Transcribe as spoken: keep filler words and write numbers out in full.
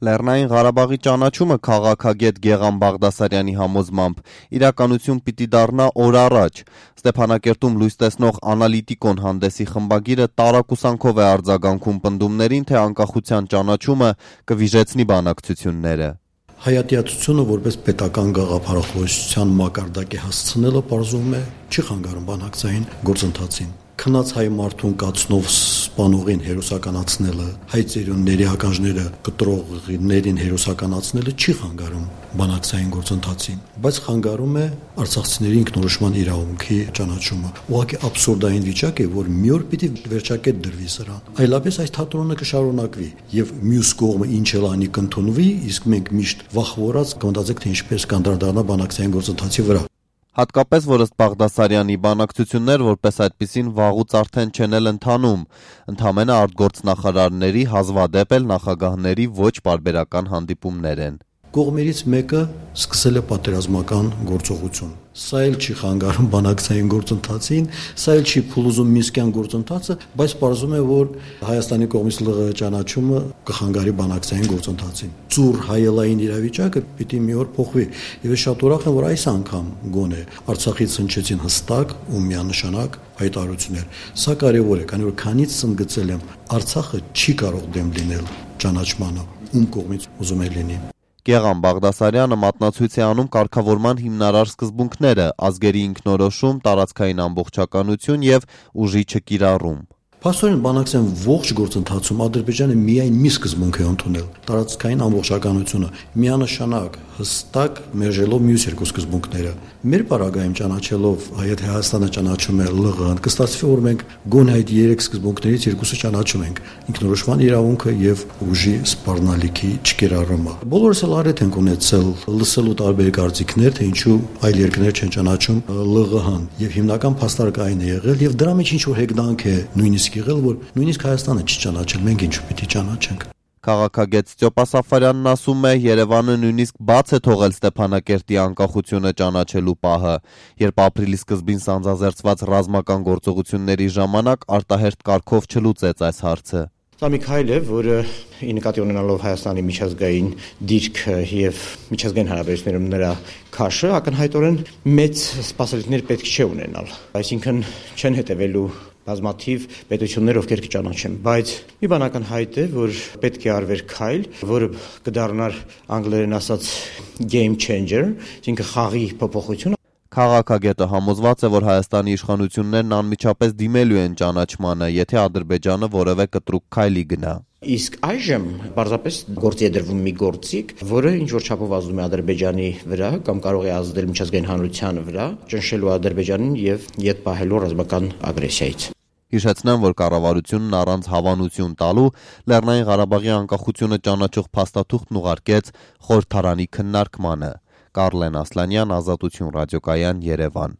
Լեռնային Ղարաբաղի ճանաչումը քաղաքագետ Գեղամ Բաղդասարյանի համոզմամբ իրականություն պիտի դառնա օր առաջ։ Ստեփանակերտում լույս տեսնող Անալիտիկոն հանդեսի խմբագիրը տարակուսանքով է արձագանքում պնդումներին, թե անկախության ճանաչումը կվիժեցնի բանակցությունները։ Հայատյացությունը որպես պետական գաղափարախոսության մակարդակի հասցնելը պարզվում է չի խանգարում բանակցային գործընթացին։ Քնած հայ մարդուն կացնով սպանողին հերոսականացնելը, հայ ծերունների ականջները կտրողներին հերոսականացնելը չի խանգարում բանակցային գործընթացին, բայց խանգարում է արցախցիների ինքնորոշման իրավունքի ճանաչումը։ Ուղղակի աբսուրդային վիճակ է, որ մի օր պիտի վերջակետ դրվի սրան։ Այլապես այս թատրոնը կշարունակվի եւ մյուս կողմը ինչ էլ անի կընդունվի, իսկ մենք միշտ վախվորած կմտածենք, թե ինչպես կանդրադառնա բանակցային գործընթացի վրա։ Հատկապես, որ ըստ Բաղդասարյանի բանակցություններ որպես այդպիսին վաղուց արդեն չեն էլ ընթանում, ընդամենը արտգործնախարարների, հազվադեպ էլ նախագահների ոչ պարբերական հանդիպումներ են։ Կողմերից մեկը սկսել է պատերազմական գործողություն։ Սա էլ չի խանգարում բանակցային գործընթացին, սա էլ չի փլուզում մինսկյան գործընթացը, բայց պարզվում է, որ Հայաստանի կողմից ԼՂՀ ճանաչումը կխանգարի բանակցային գործընթացին։ Ծուռ հայելային իրավիճակը պիտի մի օր փոխվի, եւ ես շատ ուրախ եմ, որ այս անգամ գոնե Արցախից հնչեցին հստակ ու միանշանակ հայտարարություններ։ Սա կարևոր է, քանի որ քանից ընդգծել եմ, Արցախը չի կարող դեմ լինել ճանաչմանը, ում կողմից ուզում է լինի։ Գեղամ Բաղդասարյանը մատնացույց է անում կարգավորման հիմնարար սկզբունքները՝ ազգերի ինքնորոշում, տարածքային ամբողջականություն եւ ուժի չկիրառում։ Փաստորեն բանակցային ողջ գործընթացում Ադրբեջանը միայն մի սկզբունք է ընդունել՝ տարածքային ամբողջականությունը, միանշանակ, հստակ մերժելով մյուս երկու սկզբունքները։ Մեր պարագայում ճանաչելով այդ Հայաստանը ճանաչում է ԼՂՀ-ն, կստացվի, որ մենք գոնե այդ երեք սկզբունքներից երկուսը ճանաչում ենք՝ ինքնորոշման իրավունքը եւ ուժի սպառնալիքի չկիրառումը։ Բոլորս էլ առիթ ենք ունեցել լսելու տարբեր կարծիքներ, թե ինչու այլ երկրներ չեն ճանաչում ԼՂՀ-ն, եւ հիմնական փաստարկը այն է եղել, եւ դրա մեջ ինչ որ հեգնանք է նույնիսկ եղել, որ նույնիսկ Հայաստանը չի ճանաչել, մենք ինչու պիտի ճանաչենք։ Քաղաքագետ Ստեփան Սաֆարյանն ասում է, Երևանը նույնիսկ բաց է թողել Ստեփանակերտի անկախությունը ճանաչելու պահը, երբ ապրիլի սկզբին սանձազերծված ռազմական գործողությունների ժամանակ արտահերթ կարգով չլուծեց այս հարցը։ Սա մի քայլ է, որը ի նկատի ունենալով Հայաստանի միջազգային դիրքը եւ միջազգային հարաբերություններում նրա քաշը, ակնհայտորեն մեծ սպասելիքներ պետք չէ ունենալ։ Այսինքն չեն հետևելու բազմաթիվ պետություններ, ովքեր կճանաչեն, բայց մի բան ակնհայտ է, որ պետք է արվեր քայլ, որը կդառնար անգլերեն ասած game changer, այսինքն խաղի փոփոխություն։ Քաղաքագետը համոզված է, որ Հայաստանի իշխանություններն անմիջապես դիմելու են ճանաչմանը, եթե Ադրբեջանը որևէ կտրուկ քայլի գնա։ Իսկ այժմ պարզապես գործի է դրվում մի գործիք, որը ինչ որ չափով ազդում է Ադրբեջանի վրա կամ կարող է ազդել միջազգային հանրության վրա, ճնշելու Ադրբեջանին եւ ետ պահելու ռազմական ագրեսիայից։ Հիշեցնեմ, որ կառավարությունն առանց հավանություն տալու Լեռնային Ղարաբաղի անկախությունը ճանաչող փաստաթուղթն ուղարկեց խորհրդարանի քննարկմանը։ Կարլեն Ասլանյան, Ազատություն ռադիոկայան, Երևան։